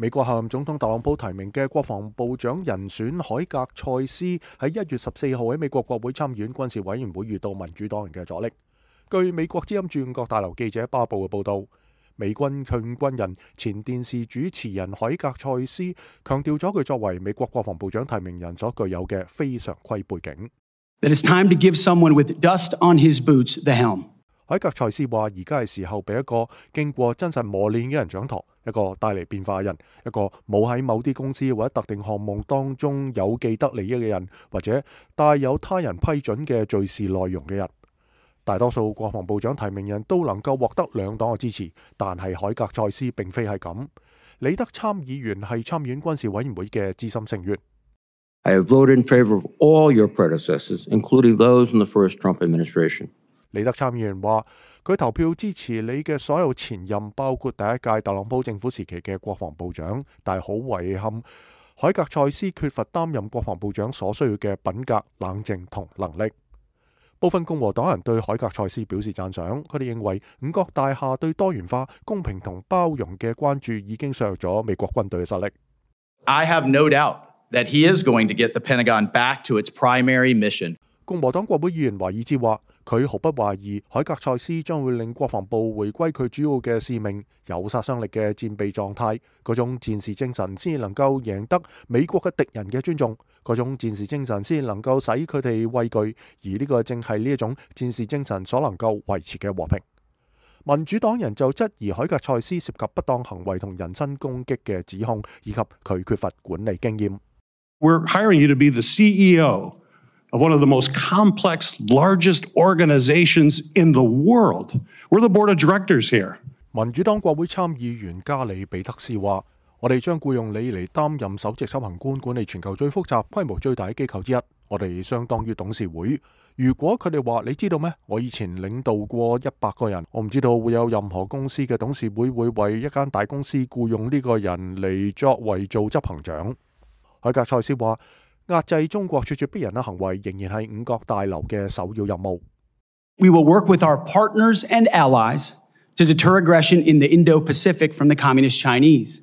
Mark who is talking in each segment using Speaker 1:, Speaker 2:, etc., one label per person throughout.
Speaker 1: 美國候任總統特朗普提名嘅國防部長人選海格塞斯喺1月14號喺美國國會參議院軍事委員會遇到民主黨人嘅阻力。據美國之音駐五角大樓記者巴布嘅報道，美軍向軍人前電視主持人海格塞斯強調咗佢作為美國國防部長提名人所具有嘅非常規背景。
Speaker 2: That it's time to give someone with dust on his boots the helm.
Speaker 1: 海格塞斯話：而家係時候俾一個經過真實磨練嘅人掌舵，一個帶嚟變化嘅人，一個冇喺某啲公司或者特定項目當中有既得利益嘅人，或者帶有他人批准嘅敘事內容嘅人。大多數國防部長提名人都能夠獲得兩黨嘅支持，但係海格塞斯並非係咁。李德參議員係參議院軍事委員會嘅資深成員。
Speaker 3: I have voted in favor of all your predecessors, including those in the first Trump administration.
Speaker 1: 李德參議員話：佢投票支持你嘅所有前任，包括第一屆特朗普政府時期嘅國防部長，但係好遺憾，海格塞斯缺乏擔任國防部長所需要嘅品格、冷靜同能力。部分共和黨人對海格塞斯表示讚賞，佢哋認為五角大廈對多元化、公平同包容嘅關注已經削弱咗美國軍隊嘅實力。
Speaker 4: I have no doubt that he is going to get the Pentagon back to its primary mission.
Speaker 1: 共和黨國會議員華爾茲話：佢毫不懷疑海格塞斯將會令國防部回歸佢主要嘅使命，有殺傷力嘅戰備狀態，嗰種戰士精神先能夠贏得美國嘅敵人嘅尊重，嗰種戰士精神先能夠使佢哋畏懼，而呢個正係呢一種戰士精神所能夠維持嘅和平。民主黨人就質疑海格塞斯涉及不當行為同人身攻擊嘅指控，以及佢缺乏管理經驗。
Speaker 5: We're hiring you to be the CEO of one of the most complex, largest organizations in the world. We're the board of directors here.
Speaker 1: 民主黨國會參議員加里比特斯話：我哋將僱用你嚟擔任首席執行官，管理全球最複雜、規模最大嘅機構之一。我哋相當於董事會。如果佢哋話你知道咩？我以前領導過100個人，我唔知道會有任何公司嘅董事會會為一間大公司僱用呢個人嚟作為做執行長。海格塞斯話：壓制中國咄咄逼人嘅行為仍然係五角大樓嘅首要任務。
Speaker 2: We will work with our partners and allies to deter aggression in the Indo-Pacific from the Communist Chinese.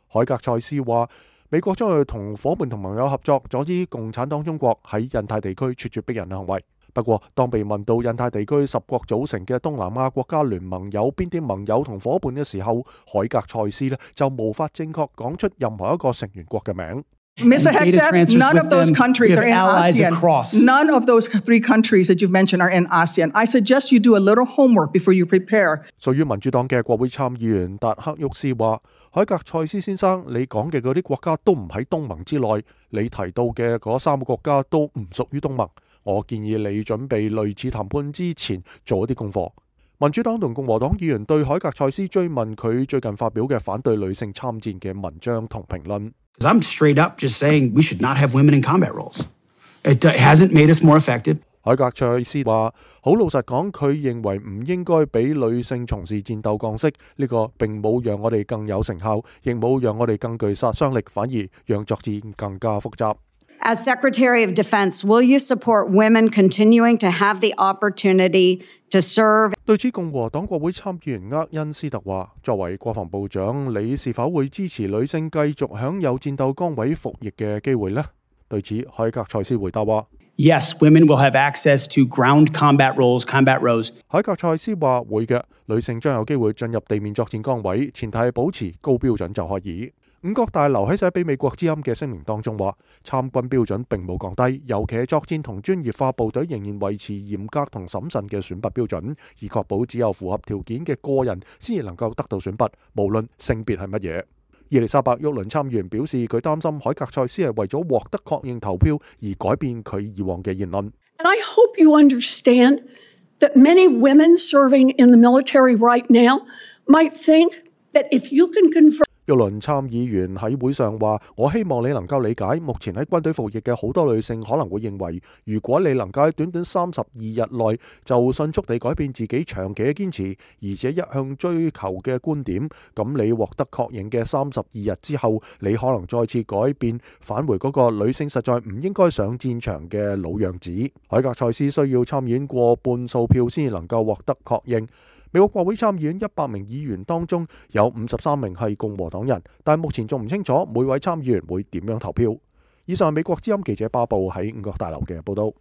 Speaker 1: 海格塞斯話：美國將會同伙伴同盟友合作，阻止共產黨中國喺印太地區咄咄逼人嘅行為。不過，當被問到印太地區10國組成嘅東南亞國家聯盟有邊啲盟友同伙伴嘅時候，海格塞斯就無法正確講出任何一個成員國嘅名。
Speaker 6: Mr. Hegseth, none of those countries are in ASEAN. None of those 3 countries that you've mentioned are in ASEAN. I suggest you do a little homework before you prepare.
Speaker 1: 屬於民主黨嘅國會參議員達克沃斯話：海格塞斯先生，你講嘅嗰啲國家都唔喺東盟之內，你提到嘅嗰3個國家都唔屬於東盟。我建議你準備類似談判之前做一啲功課。民主黨同共和黨議員對海格塞斯追問佢最近發表嘅反對女性參戰嘅文章同評論。
Speaker 2: Because I'm straight up just saying we should not have women in combat roles. It hasn't made us more effective.
Speaker 1: 海格塞斯話：好老實講，佢認為唔應該俾女性從事戰鬥角色，呢個並冇讓我哋更有成效，亦冇讓我哋更具殺傷力，反而讓作戰更加複雜。
Speaker 7: As Secretary of Defense, will you support women continuing to have the opportunity to serve?
Speaker 1: 對此，共和黨國會參議員厄恩斯特話：作為國防部長，你是否會支持女性繼續享有戰鬥崗位服役嘅機會呢？對此，海格塞斯回答話
Speaker 2: ：Yes, women will have access to ground combat roles.
Speaker 1: 海格塞斯話：會嘅，女性將有機會進入地面作戰崗位，前提係保持高標準就可以。五角大樓喺寫俾美國之音嘅聲明當中話：參軍標準並冇降低，尤其係作戰同專業化部隊仍然維持嚴格同審慎嘅選拔標準，以確保只有符合條件嘅個人先至能夠得到選拔，無論性別係乜嘢。伊麗莎白·沃倫參議員表示，佢擔心海格塞斯係為咗獲得確認投票而改變佢以往嘅言論。
Speaker 6: And I hope you understand that many women serving in the military right now might think that if you can convert
Speaker 1: 沃倫參議員喺會上話：我希望你能夠理解，目前喺軍隊服役嘅好多女性可能會認為，如果你能夠喺短短32日內就迅速地改變自己長期嘅堅持，而且一向追求嘅觀點，咁你獲得確認嘅32日之後，你可能再次改變，返回嗰個女性實在唔應該上戰場嘅老樣子。海格塞斯需要參議院過半數票先能夠獲得確認。美國國會參議院100名議員當中有53名係共和黨人，但目前仲唔清楚每位參議員會點樣投票。以上係美國之音記者巴布喺五角大樓嘅報道。